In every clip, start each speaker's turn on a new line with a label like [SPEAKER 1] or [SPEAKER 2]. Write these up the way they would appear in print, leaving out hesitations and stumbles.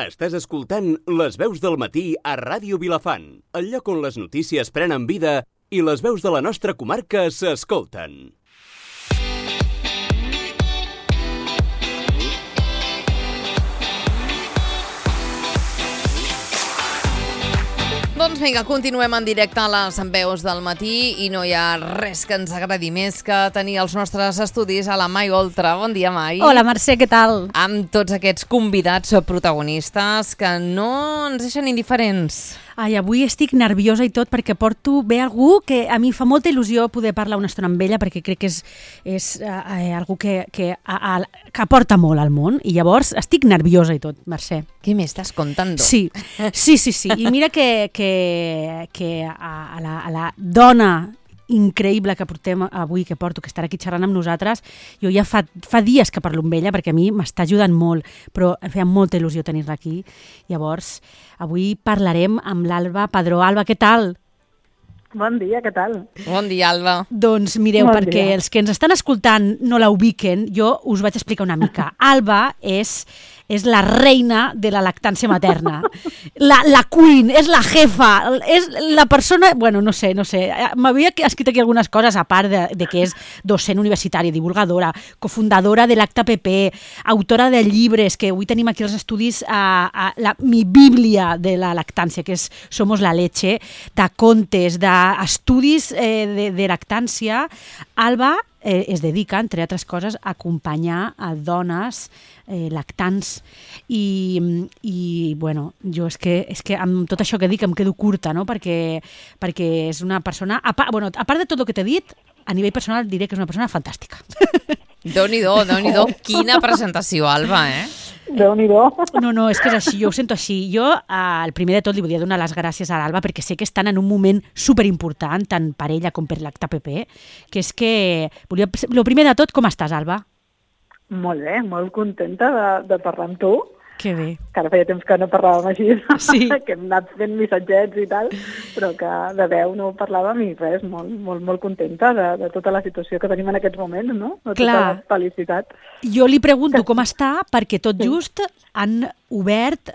[SPEAKER 1] Estàs escoltant Les veus del matí a Ràdio Vilafant, el lloc on les notícies prenen vida i les veus de la nostra comarca s'escolten.
[SPEAKER 2] Doncs vinga, continuem en directe a les veus del matí i no hi ha res que ens agradi més que tenir els nostres estudis a la Mai Oltra. Bon dia, Mai.
[SPEAKER 3] Hola, Mercè, què tal?
[SPEAKER 2] Amb tots aquests convidats protagonistes que no ens deixen indiferents.
[SPEAKER 3] Ai, avui estic nerviosa i tot perquè porto bé algú que a mi fa molta il·lusió poder parlar una estona amb ella perquè crec que és algú que aporta molt al món i llavors estic nerviosa i tot, Mercè.
[SPEAKER 2] Què m'estàs contando?
[SPEAKER 3] Sí. I mira que a la dona increïble que portem avui, que porto, que estarà aquí xerrant amb nosaltres, jo ja fa dies que parlo amb ella perquè a mi m'està ajudant molt, però em feia molta il·lusió tenir-la aquí. Llavors, avui parlarem amb l'Alba Padró. Alba, què tal?
[SPEAKER 4] Bon dia, què tal?
[SPEAKER 2] Bon dia, Alba.
[SPEAKER 3] Doncs mireu, perquè els que ens estan escoltant no la ubiquen, jo us vaig explicar una mica. Alba és la reina de la lactància materna. La queen, és la jefa, és la persona... Bueno, no sé. M'havia escrit aquí algunes coses, a part de que és docent universitària, divulgadora, cofundadora de l'ACTA-PP, autora de llibres, que avui tenim aquí els estudis, mi bíblia de la lactància, que és Somos la leche, de contes, d'estudis de lactància. Alba es dedica, entre altres coses, a acompanyar a dones lactants i bueno, jo és que amb tot això que dic em quedo curta, no? Perquè és una persona, a part de tot el que t'he dit, a nivell personal diré que és una persona fantàstica.
[SPEAKER 2] Déu-n'hi-do, quina presentació, Alba,
[SPEAKER 4] Déu-n'hi-do.
[SPEAKER 3] No, és que és així, jo ho sento així. Jo, el primer de tot, li volia donar les gràcies a l'Alba perquè sé que estan en un moment superimportant, tant per ella com per l'ACTA-PP, que és que... El primer de tot, com estàs, Alba?
[SPEAKER 4] Molt bé, molt contenta de parlar amb tu.
[SPEAKER 3] Que bé.
[SPEAKER 4] Que ara feia temps que no parlàvem així,
[SPEAKER 3] sí.
[SPEAKER 4] Que hem anat fent missatgets i tal, però que de veu no parlàvem i res, molt contenta de tota la situació que tenim en aquests moments, no? De tota la felicitat.
[SPEAKER 3] Jo li pregunto com està perquè tot just han obert...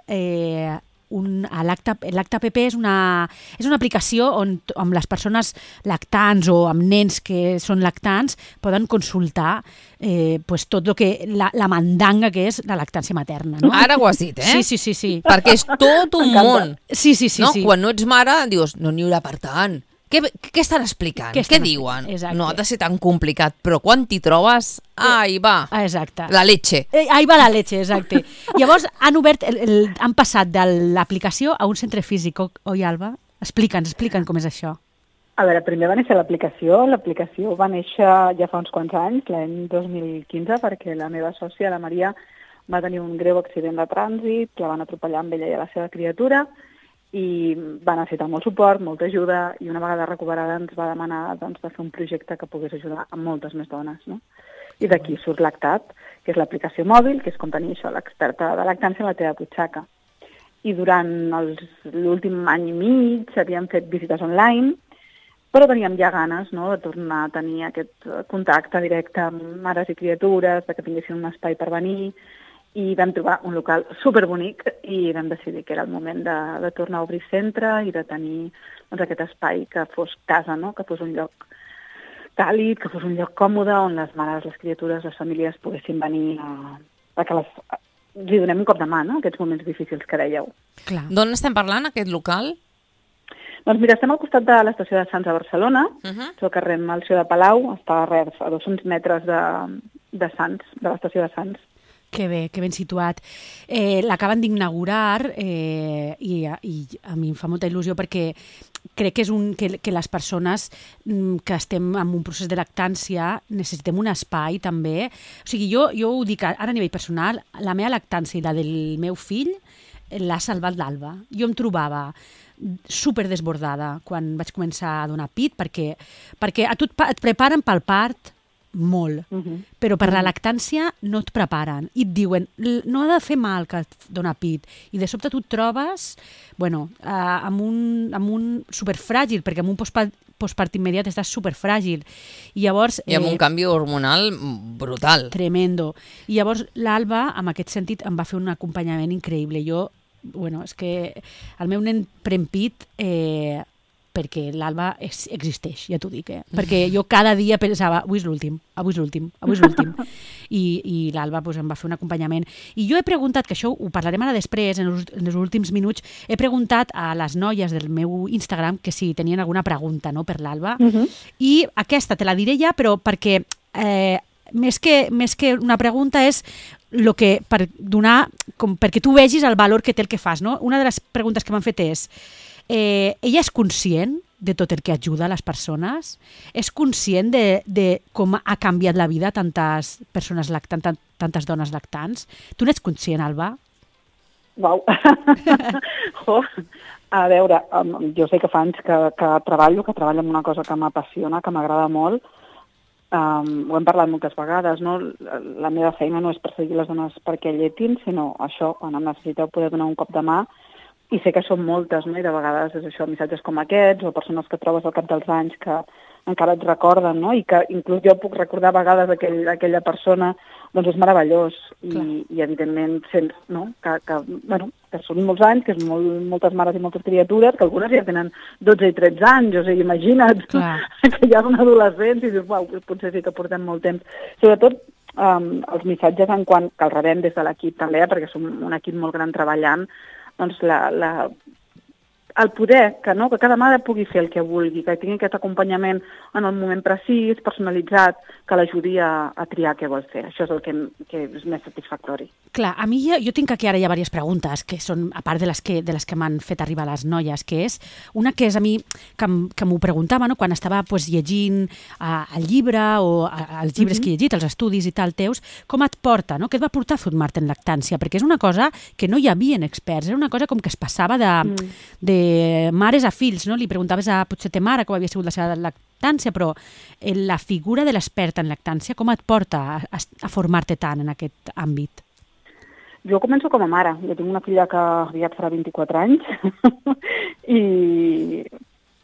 [SPEAKER 3] L'ACTA-PP és una aplicació on amb les persones lactants o amb nens que són lactants poden consultar tot el que la mandanga que és la lactància materna. No?
[SPEAKER 2] Ara ho has dit,
[SPEAKER 3] Sí.
[SPEAKER 2] Perquè és tot un món.
[SPEAKER 3] Sí.
[SPEAKER 2] No? Quan no ets mare, dius, no n'hi haurà per tant. Què estan explicant? Què diuen?
[SPEAKER 3] Exacte.
[SPEAKER 2] No ha de ser tan complicat, però quan t'hi trobes, ahí va.
[SPEAKER 3] Exacte.
[SPEAKER 2] La leche.
[SPEAKER 3] Ahí va la leche, exacte. Llavors han obert, han passat de l'aplicació a un centre físic, oi, Alba? Explica'ns com és això.
[SPEAKER 4] A veure, primer va néixer l'aplicació. L'aplicació va néixer ja fa uns quants anys, l'any 2015, perquè la meva sòcia, la Maria, va tenir un greu accident de trànsit, la van atropellar amb ella i a la seva criatura, i va necessitar molt suport, molta ajuda, i una vegada recuperada ens va demanar de fer un projecte que pogués ajudar a moltes més dones, no? I d'aquí surt Lactat, que és l'aplicació mòbil, que és com tenir això, l'experta de lactància a la teva butxaca. I durant l'últim any i mig havíem fet visites online, però teníem ja ganes, no?, de tornar a tenir aquest contacte directe amb mares i criatures, que tinguessin un espai per venir, i vam trobar un local superbonic i vam decidir que era el moment de tornar a obrir centre i de tenir aquest espai que fos casa, no? Que fos un lloc càlid, que fos un lloc còmode on les mares, les criatures, les famílies poguessin venir perquè li donem un cop de mà, no?, aquests moments difícils que dèieu.
[SPEAKER 3] Clar.
[SPEAKER 2] D'on estem parlant, aquest local?
[SPEAKER 4] Doncs mira, estem al costat de l'estació de Sants a Barcelona, és el carrer Melcior de Palau, està a 200 metres de Sants, de l'estació de Sants.
[SPEAKER 3] Que bé, que ben situat. L'acaben d'inaugurar i a mi em fa molta il·lusió perquè crec que les persones que estem en un procés de lactància necessitem un espai també. O sigui, jo ho dic ara a nivell personal, la meva lactància i la del meu fill l'ha salvat l'Alba. Jo em trobava super desbordada quan vaig començar a donar pit perquè a tu et preparen pel part molt, però per la lactància no et preparen i et diuen, no ha de fer mal que et dona pit, i de sobte tu et trobes amb un superfràgil, perquè amb un postpart immediat estàs superfràgil. I llavors...
[SPEAKER 2] I amb un canvi hormonal brutal.
[SPEAKER 3] Tremendo. I llavors l'Alba, en aquest sentit, em va fer un acompanyament increïble. Jo, és que el meu nen pren pit perquè l'Alba existeix, ja t'ho dic, perquè jo cada dia pensava, avui és l'últim, i l'Alba em va fer un acompanyament. I jo he preguntat, que això ho parlarem ara després, en els últims minuts, he preguntat a les noies del meu Instagram que si tenien alguna pregunta, no, per l'Alba, i aquesta te la diré ja, però perquè més que una pregunta és per donar, perquè tu vegis el valor que té el que fas, no? Una de les preguntes que m'han fet és ella és conscient de tot el que ajuda a les persones? És conscient de com ha canviat la vida tantes persones lactants, tantes dones lactants? Tu n'ets conscient, Alba?
[SPEAKER 4] Uau! A veure, jo sé que fa anys que treballo en una cosa que m'apassiona, que m'agrada molt. Ho hem parlat moltes vegades, no? La meva feina no és perseguir les dones perquè lletin, sinó això, quan em necessiteu poder donar un cop de mà. I sé que són moltes, no? I de vegades és això, missatges com aquests, o persones que trobes al cap dels anys que encara et recorden, no? I que inclús jo puc recordar a vegades aquella persona, doncs és meravellós. I evidentment sents, no? Que són molts anys, que és moltes mares i moltes criatures, que algunes ja tenen 12 i 13 anys, o sigui, imagina't que ja són adolescents i dius, uau, potser sí que portem molt temps. Sobretot els missatges en quant que els rebem des de l'equip també, perquè som un equip molt gran treballant, doncs el poder que cada mare pugui fer el que vulgui, que tingui aquest acompanyament en el moment precís, personalitzat, que l'ajudi a triar què vol fer. Això és el que és més satisfactori.
[SPEAKER 3] Clar, a mi jo tinc aquí ara ja diverses preguntes, que són, a part de les que m'han fet arribar les noies, que és una que és a mi, que m'ho preguntava, no? Quan estava llegint el llibre o els llibres que he llegit, els estudis i tal teus, com et porta, no? Què et va portar a formar-te en lactància? Perquè és una cosa que no hi havia experts, era una cosa com que es passava de mares a fills, no? Li preguntaves a potser ta mare com havia sigut la seva lactància, però la figura de l'experta en lactància, com et porta a formar-te tant en aquest àmbit?
[SPEAKER 4] Jo començo com a mare. Jo tinc una filla que aviat farà 24 anys i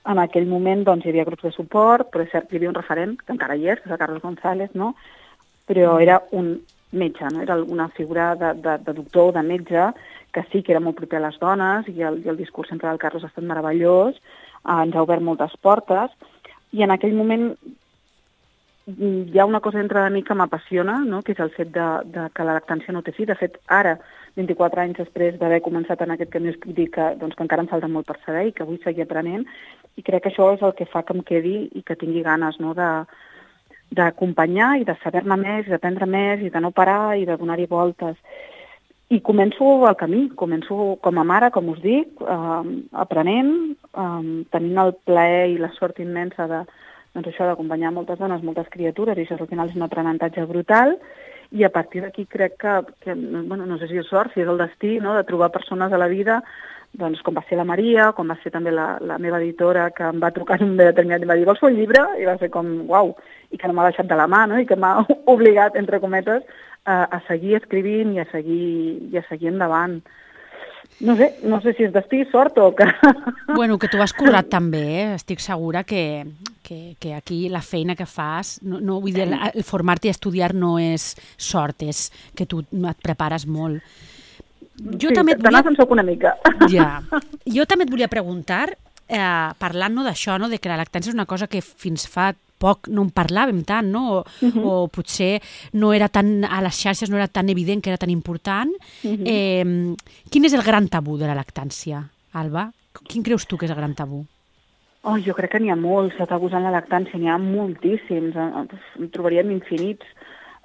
[SPEAKER 4] en aquell moment doncs, hi havia grups de suport, però és cert que hi havia un referent, que encara hi és, que és el Carlos González, no? Però era un metge, no? Era una figura de doctor o de metge que sí que era molt proper a les dones i el discurs sempre del Carlos ha estat meravellós, ens ha obert moltes portes i en aquell moment hi ha una cosa dintre de mi que m'apassiona, no? Que és el fet de que la lactància no té fi. De fet, ara, 24 anys després d'haver començat en aquest camí, us puc dir que encara em falta molt per saber i que vull seguir aprenent i crec que això és el que fa que em quedi i que tingui ganes, no? D'acompanyar i de saber-ne més, i d'aprendre més i de no parar i de donar-hi voltes. I començo el camí, començo com a mare, com us dic, aprenent, tenint el plaer i la sort immensa d'acompanyar moltes dones, moltes criatures, i això al final és un aprenentatge brutal, i a partir d'aquí crec que no sé si és sort, si és el destí, no?, de trobar persones a la vida, doncs com va ser la Maria, com va ser també la meva editora, que em va trucar en un determinat i em va dir, vols fer un llibre? I va ser com, uau, i que no m'ha deixat de la mà, no?, i que m'ha obligat, entre cometes, a seguir escrivint i a seguir endavant. No sé si és destí, sort o que...
[SPEAKER 3] Bueno, que tu has currat també, estic segura que aquí la feina que fas, no vull dir, el formar-te i estudiar no és sort, és que tu et prepares molt.
[SPEAKER 4] Jo també se'n soc una mica.
[SPEAKER 3] Ja. Jo també et volia preguntar, parlant d'això, de que la lactància és una cosa que fins fa poc no en parlàvem tant, no? O potser no era tan, a les xarxes no era tan evident que era tan important. Quin és el gran tabú de la lactància, Alba? Quin creus tu que és el gran tabú?
[SPEAKER 4] Jo crec que n'hi ha molts de tabús en la lactància, n'hi ha moltíssims, en trobaríem infinits.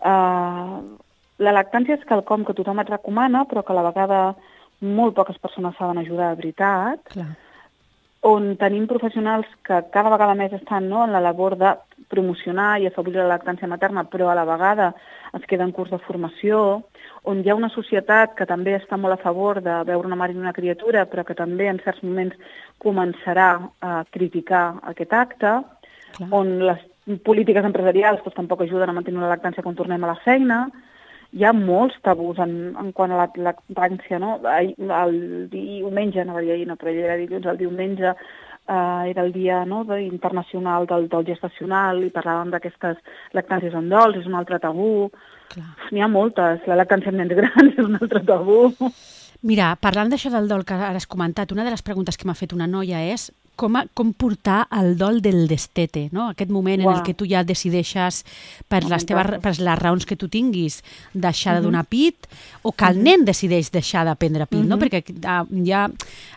[SPEAKER 4] La lactància és quelcom que tothom et recomana, però que a la vegada molt poques persones saben ajudar de veritat.
[SPEAKER 3] Clar.
[SPEAKER 4] On tenim professionals que cada vegada més estan en la labor de promocionar i afavorir la lactància materna, però a la vegada es queda en curs de formació, on hi ha una societat que també està molt a favor de veure una mare i una criatura, però que també en certs moments començarà a criticar aquest acte,
[SPEAKER 3] Clar.
[SPEAKER 4] On les polítiques empresarials tampoc ajuden a mantenir la lactància quan tornem a la feina. Hi ha molts tabús en quant a la lactància, no? El diumenge, no va dir ahir, no, però era dilluns, el diumenge, era el dia internacional del dol gestacional i parlàvem d'aquestes lactàncies en dols, és un altre tabú. N'hi ha moltes. La lactància en nens grans és un altre tabú.
[SPEAKER 3] Mira, parlant d'això del dol que ara has comentat, una de les preguntes que m'ha fet una noia és com portar el dol del destete, no? Aquest moment en el que tu ja decideixes per les raons que tu tinguis deixar de donar pit o que el nen decideix deixar de prendre pit, no? Perquè ja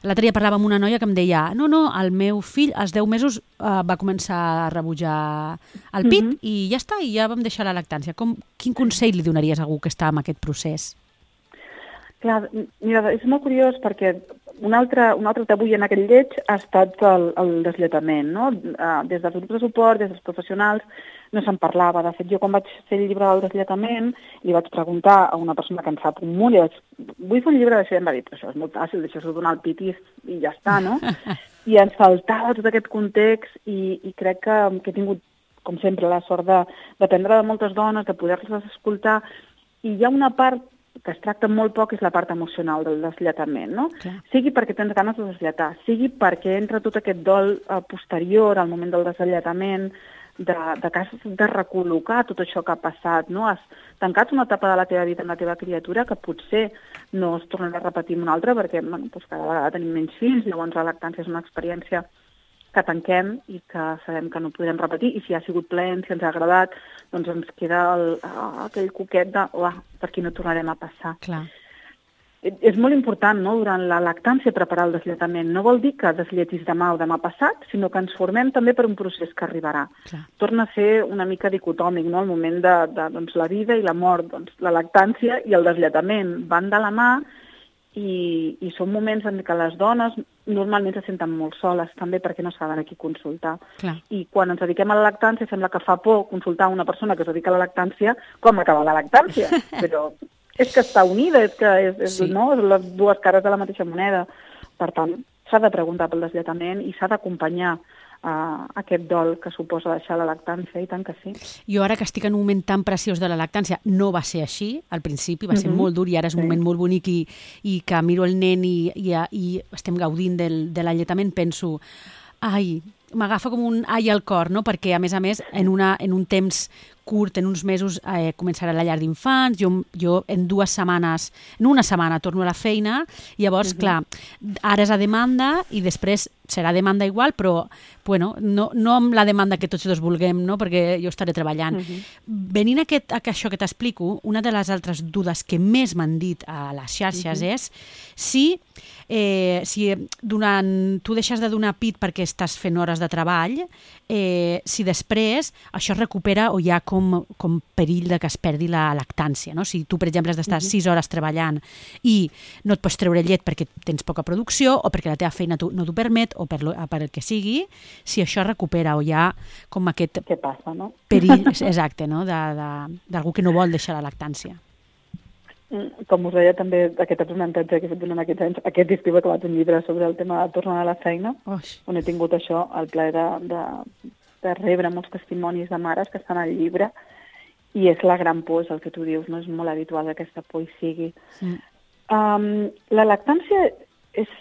[SPEAKER 3] l'altre dia parlava amb una noia que em deia no, el meu fill als 10 mesos va començar a rebutjar el pit i ja està, i ja vam deixar la lactància. Quin consell li donaries a algú que està en aquest procés?
[SPEAKER 4] Clar, mira, és molt curiós perquè un altre tabú en aquell lleig ha estat el deslletament, no? Des dels grups de suport, des dels professionals, no se'n parlava. De fet, jo quan vaig fer el llibre del deslletament li vaig preguntar a una persona que en sap un munt i vaig vull fer un llibre d'això i em va dir, però això és molt fàcil, deixar-s'ho donar el pit i ja està, no? I ens faltava tot aquest context i crec que he tingut, com sempre, la sort d'aprendre de moltes dones, de poder-les escoltar, i hi ha una part que es tracta molt poc, és la part emocional del deslletament, no? Sigui perquè tens ganes de deslletar, sigui perquè entra tot aquest dol posterior al moment del deslletament, de recol·locar tot això que ha passat, no? Has tancat una etapa de la teva vida amb la teva criatura que potser no es tornarà a repetir una altra perquè cada vegada tenim menys fills, llavors la lactància és una experiència que tanquem i que sabem que no podrem repetir, i si ha sigut plaent, si ens ha agradat, doncs ens queda aquell coquet de per aquí no tornarem a passar.
[SPEAKER 3] Clar.
[SPEAKER 4] És molt important, no?, durant la lactància preparar el deslletament. No vol dir que deslletis demà o demà passat, sinó que ens formem també per un procés que arribarà.
[SPEAKER 3] Clar.
[SPEAKER 4] Torna a ser una mica dicotòmic, no?, el moment de la vida i la mort. Doncs la lactància i el deslletament van de la mà i són moments en què les dones normalment se senten molt soles, també perquè no saben a qui consultar.
[SPEAKER 3] Clar.
[SPEAKER 4] I quan ens dediquem a la lactància sembla que fa por consultar una persona que es dedica a la lactància com acaba la lactància, però és que està unida, és que no? És les dues cares de la mateixa moneda. Per tant, s'ha de preguntar pel deslletament i s'ha d'acompanyar aquest dol que suposa deixar la lactància, i tant que sí.
[SPEAKER 3] Jo ara que estic en un moment tan preciós de la lactància, no va ser així, al principi va ser molt dur i ara és un moment molt bonic i que miro el nen i estem gaudint de l'alletament, penso, m'agafa com un al cor, no? Perquè a més, en un temps curt, en uns mesos, començarà la llar d'infants, jo en una setmana torno a la feina, i llavors, clar, ara és a demanda i després serà demanda igual, però bueno, no amb la demanda que tots dos vulguem, no? Perquè jo estaré treballant. Venint a això que t'explico, una de les altres dudes que més m'han dit a les xarxes és si tu deixes de donar pit perquè estàs fent hores de treball, si després això es recupera o hi ha com perill de que es perdi la lactància, no? Si tu, per exemple, has d'estar 6 hores treballant i no et pots treure llet perquè tens poca producció o perquè la teva feina no t'ho permet o per el que sigui, si això es recupera o hi ha com aquest
[SPEAKER 4] què passa, no?
[SPEAKER 3] Perill, exacte, no? D'algú que no vol deixar la lactància.
[SPEAKER 4] Com us deia també aquest aprenentatge que he fet durant aquests anys, aquest estiu he acabat un llibre sobre el tema de tornar a la feina, on he tingut això, el plaer de rebre molts testimonis de mares que estan al llibre, i és la gran por, és el que tu dius, no? És molt habitual que aquesta por hi sigui. La lactància és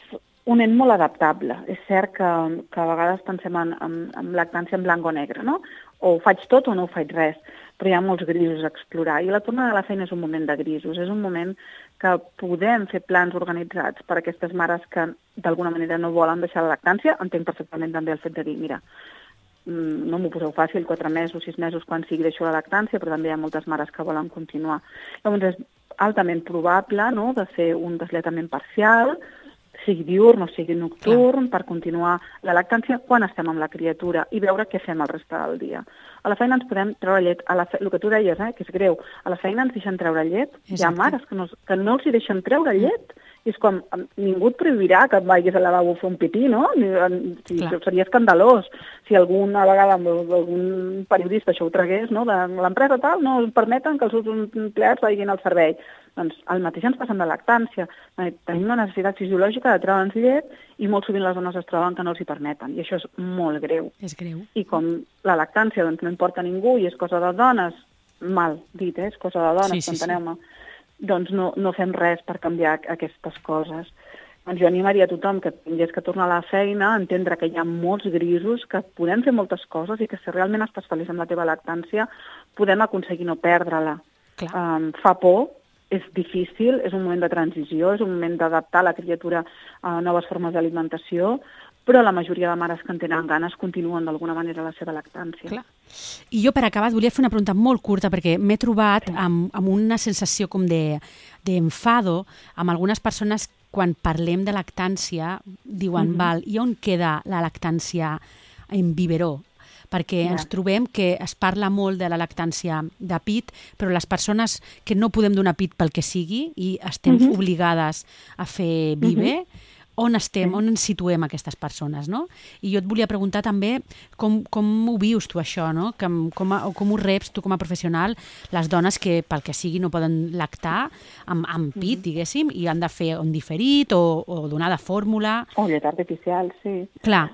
[SPEAKER 4] un nen molt adaptable. És cert que a vegades pensem en lactància en blanc o negre, no? O ho faig tot o no ho faig res, però hi ha molts grisos a explorar. I la tornada a la feina és un moment de grisos, és un moment que podem fer plans organitzats per a aquestes mares que d'alguna manera no volen deixar la lactància. Entenc perfectament també el fet de dir, mira, no m'ho poseu fàcil, 4 mesos, 6 mesos, quan sigui deixo la lactància, però també hi ha moltes mares que volen continuar. Llavors és altament probable, no?, de fer un deslletament parcial, sigui diurn o sigui nocturn, per continuar la lactància quan estem amb la criatura i veure què fem el reste del dia. A la feina ens podem treure llet, el que tu deies, que és greu, a la feina ens deixen treure llet, hi ha mares que no els hi deixen treure llet, i és com, ningú et prohibirà que vagis al lavabo a fer un pipí, no? Seria escandalós si alguna vegada algun periodista això ho tragués, no? De l'empresa tal, no permeten que els seus empleats vagin al servei. Doncs el mateix ens passa amb la lactància. Tenim una necessitat fisiològica de treure'ns llet i molt sovint les dones es troben que no els hi permeten, i això és molt greu.
[SPEAKER 3] És greu.
[SPEAKER 4] I com la lactància doncs, no importa a ningú i és cosa de dones, mal dit, és cosa de dones, enteneu-me, doncs no fem res per canviar aquestes coses. Doncs jo animaria a tothom que tingués que tornar a la feina, a entendre que hi ha molts grisos, que podem fer moltes coses i que si realment estàs feliç amb la teva lactància podem aconseguir no perdre-la. Fa por, és difícil, és un moment de transició, és un moment d'adaptar la criatura a noves formes d'alimentació, però la majoria de mares que en tenen ganes continuen d'alguna manera la seva lactància.
[SPEAKER 3] Clar. I jo, per acabar, volia fer una pregunta molt curta, perquè m'he trobat amb una sensació com d'enfado amb algunes persones quan parlem de lactància, diuen, val, i on queda la lactància en biberó? Perquè ens trobem que es parla molt de la lactància de pit, però les persones que no podem donar pit pel que sigui i estem obligades a fer bibe, on estem, on ens situem aquestes persones, no? I jo et volia preguntar també com ho vius tu això, no? Com ho reps tu com a professional, les dones que pel que sigui no poden lactar amb pit, diguéssim, i han de fer un diferit o donar de fórmula.
[SPEAKER 4] O llet artificial, sí.
[SPEAKER 3] Clar.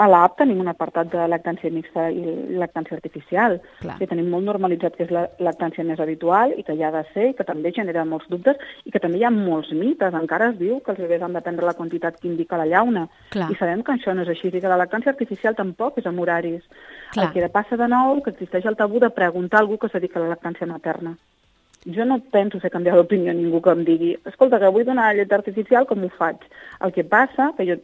[SPEAKER 4] A l'app tenim un apartat de lactància mixta i lactància artificial. Que tenim molt normalitzat que és la lactància més habitual i que hi ha de ser i que també genera molts dubtes i que també hi ha molts mites. Encara es diu que els bebès han de prendre la quantitat que indica la llauna. I sabem que això no és així i que la lactància artificial tampoc és amb horaris. El que passa de nou que existeix el tabú de preguntar a algú que es dedica a la lactància materna. Jo no penso fer canviar d'opinió a ningú que em digui escolta, que vull donar llet artificial, com ho faig? El que passa, que jo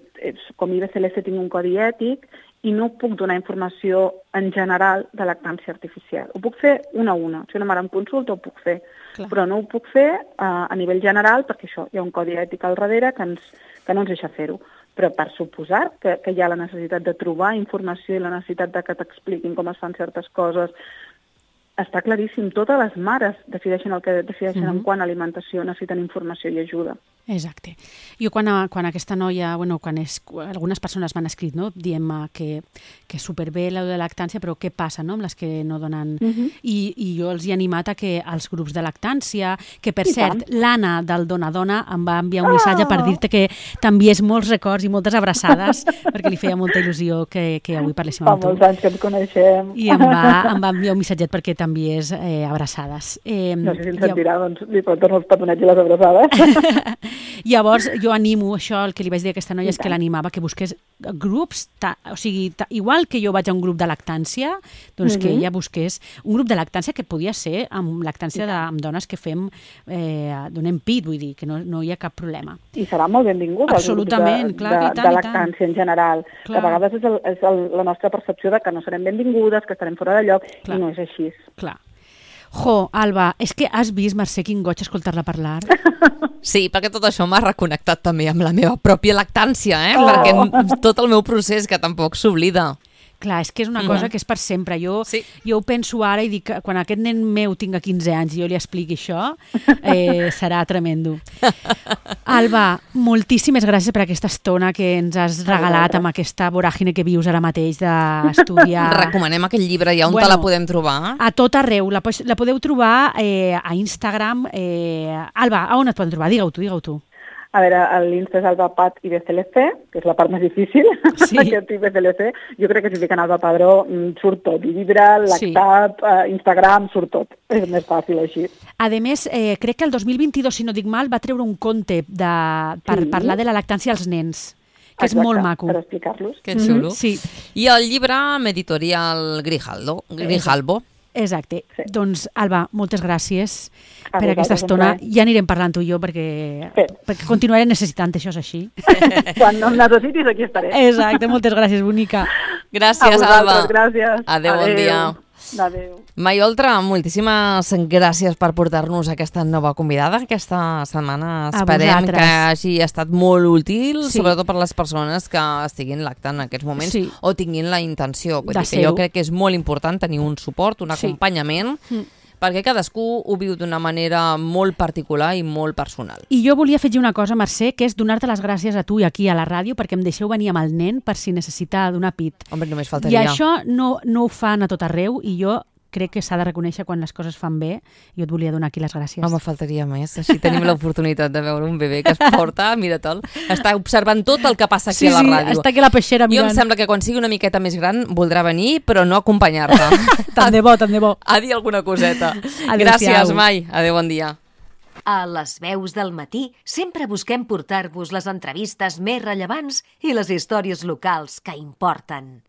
[SPEAKER 4] com a IBCLC tinc un codi ètic i no puc donar informació en general de lactància artificial. Ho puc fer una a una. Si una mare em consulta ho puc fer, però no ho puc fer a nivell general perquè això, hi ha un codi ètic al darrere que no ens deixa fer-ho. Però per suposar que hi ha la necessitat de trobar informació i la necessitat de que t'expliquin com es fan certes coses, està claríssim, totes les mares decideixen el que decideixen en quant a alimentació, necessiten informació i ajuda.
[SPEAKER 3] Exacte. Jo quan aquesta noia, algunes persones m'han escrit, no? Diem que superbé la de lactància, però què passa, no?, amb les que no donen... I jo els he animat a que als grups de lactància, que per cert, l'Anna del Dona Dona em va enviar un missatge per dir-te que t'envies molts records i moltes abraçades, perquè li feia molta il·lusió que avui parléssim amb tu.
[SPEAKER 4] Fa molts anys que ens coneixem.
[SPEAKER 3] I em va enviar un missatget perquè t'envies abraçades.
[SPEAKER 4] No sé si em sentirà, doncs li dono els petonets i les abraçades.
[SPEAKER 3] Llavors, jo animo això, el que li vaig dir a aquesta noia és que l'animava que busqués grups, o sigui, igual que jo vaig a un grup de lactància, doncs que ella busqués un grup de lactància que podia ser amb lactància amb dones que donem pit, vull dir, que no hi ha cap problema.
[SPEAKER 4] I serà molt benvingut
[SPEAKER 3] absolutament, clar,
[SPEAKER 4] de lactància en general. A vegades és la nostra percepció de que no serem benvingudes, que estarem fora de lloc, i no és així.
[SPEAKER 3] Clar. Jo, Alba, és que has vist, Mercè, quin goig escoltar-la parlar?
[SPEAKER 2] Sí, perquè tot això m'ha reconnectat també amb la meva pròpia lactància, perquè tot el meu procés que tampoc s'oblida.
[SPEAKER 3] Clar, és que és una cosa que és per sempre. Jo ho penso ara i dic que quan aquest nen meu tinga 15 anys i jo li expliqui això, serà tremendo. Alba, moltíssimes gràcies per aquesta estona que ens has regalat amb aquesta voràgine que vius ara mateix d'estudiar.
[SPEAKER 2] Recomanem aquell llibre, ja on te la podem trobar?
[SPEAKER 3] A tot arreu. La podeu trobar a Instagram. Alba, on et poden trobar? Digue-ho tu.
[SPEAKER 4] A veure, l'Insta és AlbaPat IBCLC, que és la part més difícil, aquest IBCLC. Jo crec que si fiquen Alba Padró surt tot, llibre, lactat, Instagram, surt tot. És més fàcil així.
[SPEAKER 3] A més, crec que el 2022, si no dic mal, va treure un conte per parlar de la lactància als nens, que és molt maco.
[SPEAKER 4] Per explicar-los.
[SPEAKER 2] Que xulo.
[SPEAKER 3] Sí.
[SPEAKER 2] I el llibre amb editorial Grijalbo.
[SPEAKER 3] Exacte. Doncs, Alba, moltes gràcies per aquesta estona. Ja anirem parlant tu i jo perquè continuaré necessitant, això és així.
[SPEAKER 4] Quan no em necessitis, aquí estaré.
[SPEAKER 3] Exacte, moltes gràcies, bonica.
[SPEAKER 2] Gràcies, Alba.
[SPEAKER 4] Gràcies.
[SPEAKER 2] Adéu, bon dia.
[SPEAKER 4] Adéu.
[SPEAKER 2] Mai Oltra, moltíssimes gràcies per portar-nos aquesta nova convidada aquesta setmana. Esperem que hagi estat molt útil, sobretot per les persones que estiguin lactant en aquests moments o tinguin la intenció. Vull dir que jo crec que és molt important tenir un suport, un acompanyament, perquè cadascú ho viu d'una manera molt particular i molt personal.
[SPEAKER 3] I jo volia afegir una cosa, Mercè, que és donar-te les gràcies a tu i aquí a la ràdio perquè em deixeu venir amb el nen per si necessita donar pit.
[SPEAKER 2] Home, només faltaria.
[SPEAKER 3] I això no ho fan a tot arreu i jo crec que s'ha de reconèixer quan les coses fan bé i jo et volia donar aquí les gràcies.
[SPEAKER 2] Home, faltaria més. Així tenim l'oportunitat de veure un bebè que es porta, mira te'l, està observant tot el que passa aquí a la ràdio.
[SPEAKER 3] Sí, està aquí a la peixera mirant.
[SPEAKER 2] Jo em sembla que quan sigui una miqueta més gran voldrà venir, però no acompanyar-te.
[SPEAKER 3] Tant de bo.
[SPEAKER 2] A dir alguna coseta. Gràcies, Mai. Adéu, bon dia.
[SPEAKER 5] A Les Veus del Matí sempre busquem portar-vos les entrevistes més rellevants i les històries locals que importen.